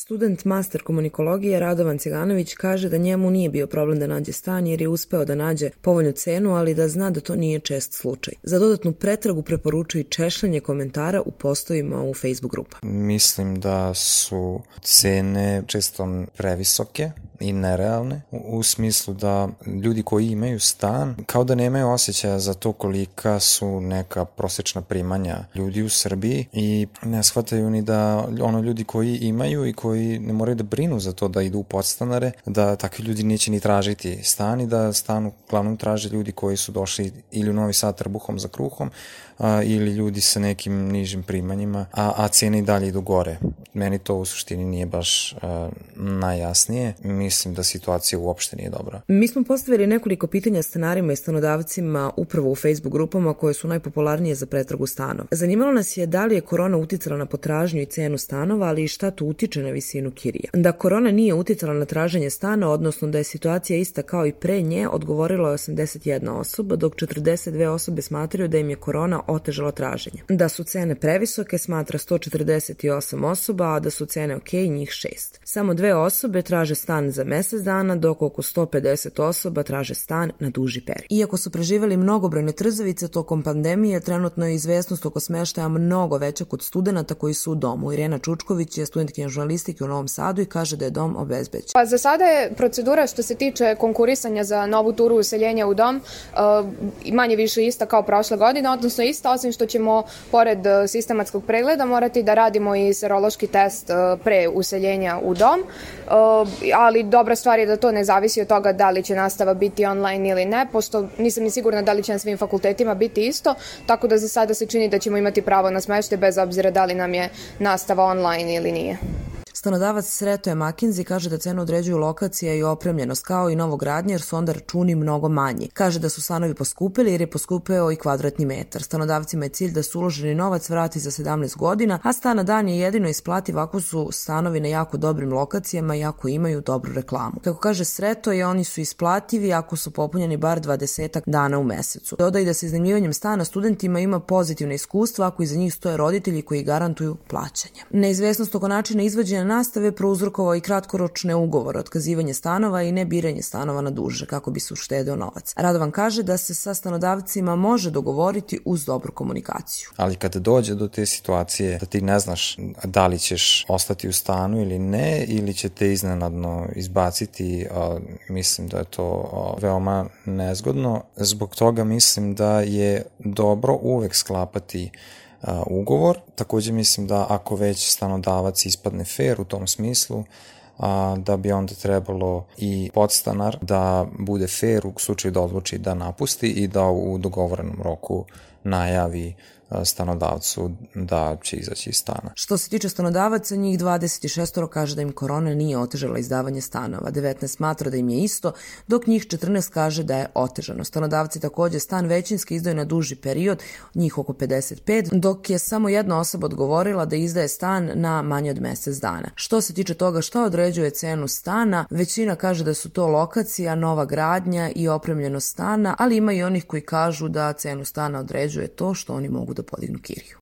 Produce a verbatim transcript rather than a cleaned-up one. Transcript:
Student master komunikologije Radovan Ciganović kaže da njemu nije bio problem da nađe stan jer je uspeo da nađe povoljnu cenu, ali da zna da to nije čest slučaj. Za dodatnu pretragu preporučuje češljanje komentara u postovima u Facebook grupa. Mislim da su cene često previsoke i nerealne, u smislu da ljudi koji imaju stan kao da nemaju osjećaja za to kolika su neka prosečna primanja ljudi u Srbiji i ne shvataju ni da ono ljudi koji imaju i koji ne moraju da brinu za to da idu u podstanare, da takvi ljudi neće ni tražiti stan i da stan uglavnom traže ljudi koji su došli ili u Novi Sad trbuhom za kruhom a, ili ljudi sa nekim nižim primanjima, a, a cene i dalje idu gore. Meni to u suštini nije baš a, najjasnije. Mislim da situacija uopšte nije dobra. Mi smo postavili nekoliko pitanja stanarima i stanodavcima upravo u Facebook grupama koje su najpopularnije za pretragu stanova. Zanimalo nas je da li je korona uticala na potražnju i cenu stanova, ali i šta to utiče na visinu kirija. Da korona nije uticala na traženje stana, odnosno da je situacija ista kao i pre nje, odgovorilo je osamdeset jedna osoba, dok četrdeset dve osobe smatraju da im je korona otežala traženje. Da su cene previsoke smatra sto četrdeset osam osoba, a da su cene ok njih šest. Samo dve osobe traže stan za mesec dana, dok oko sto pedeset osoba traže stan na duži period. Iako su preživeli mnogobrojne trzavice tokom pandemije, trenutno je izvesnost oko smeštaja mnogo veća kod studenata koji su u domu. Irena Čučković je studentkinja žurnalistike u Novom Sadu i kaže da je dom obezbeđen. Pa za sada je procedura što se tiče konkurisanja za novu turu useljenja u dom uh, manje više ista kao prošle godine, odnosno ista, osim što ćemo pored sistematskog pregleda morati da radimo i serološki test uh, pre useljenja u dom, uh, ali dobra stvar je da to ne zavisi od toga da li će nastava biti online ili ne, pošto nisam ni sigurna da li će na svim fakultetima biti isto, tako da za sada se čini da ćemo imati pravo na smeštaj bez obzira da li nam je nastava online ili nije. Stanodavac Sretoje Makinzi kaže da cenu određuju lokacija i opremljenost kao i novogradnje jer su onda računi mnogo manji. Kaže da su stanovi poskupili jer je poskupeo i kvadratni metar. Stanodavcima je cilj da su uloženi novac vrati za sedamnaest godina, a stan na dan je jedino isplativ ako su stanovi na jako dobrim lokacijama i ako imaju dobru reklamu. Kako kaže Sretoje, oni su isplativi ako su popunjeni bar dvadesetak dana u mesecu. Dodaj da se iznajmljivanjem stana studentima ima pozitivne iskustva ako iza njih stoje roditelji koji garantuju plaćanje. Neizvesnost oko načina izvođenja nastave prouzrokovao i kratkoročne ugovore, otkazivanje stanova i nebiranje stanova na duže kako bi se uštedeo novac. Radovan kaže da se sa stanodavcima može dogovoriti uz dobru komunikaciju. Ali kada dođe do te situacije da ti ne znaš da li ćeš ostati u stanu ili ne, ili će te iznenadno izbaciti, a, mislim da je to a, veoma nezgodno. Zbog toga mislim da je dobro uvek sklapati Uh, ugovor. Takođe mislim da ako već stanodavac ispadne fair u tom smislu, a, da bi onda trebalo i podstanar da bude fair u slučaju da odluči da napusti i da u dogovorenom roku najavi stanodavcu da će izaći iz stana. Što se tiče stanodavaca, njih dvadeset šest kaže da im korona nije otežala izdavanje stanova, devetnaest smatra da im je isto, dok njih četrnaest kaže da je otežano. Stanodavci takođe stan većinski izdaju na duži period, njih oko pedeset pet, dok je samo jedna osoba odgovorila da izdaje stan na manje od mesec dana. Što se tiče toga šta određuje cenu stana, većina kaže da su to lokacija, nova gradnja i opremljenost stana, ali ima i onih koji kažu da cenu stana određuje to što oni mogu da podignu kiriju.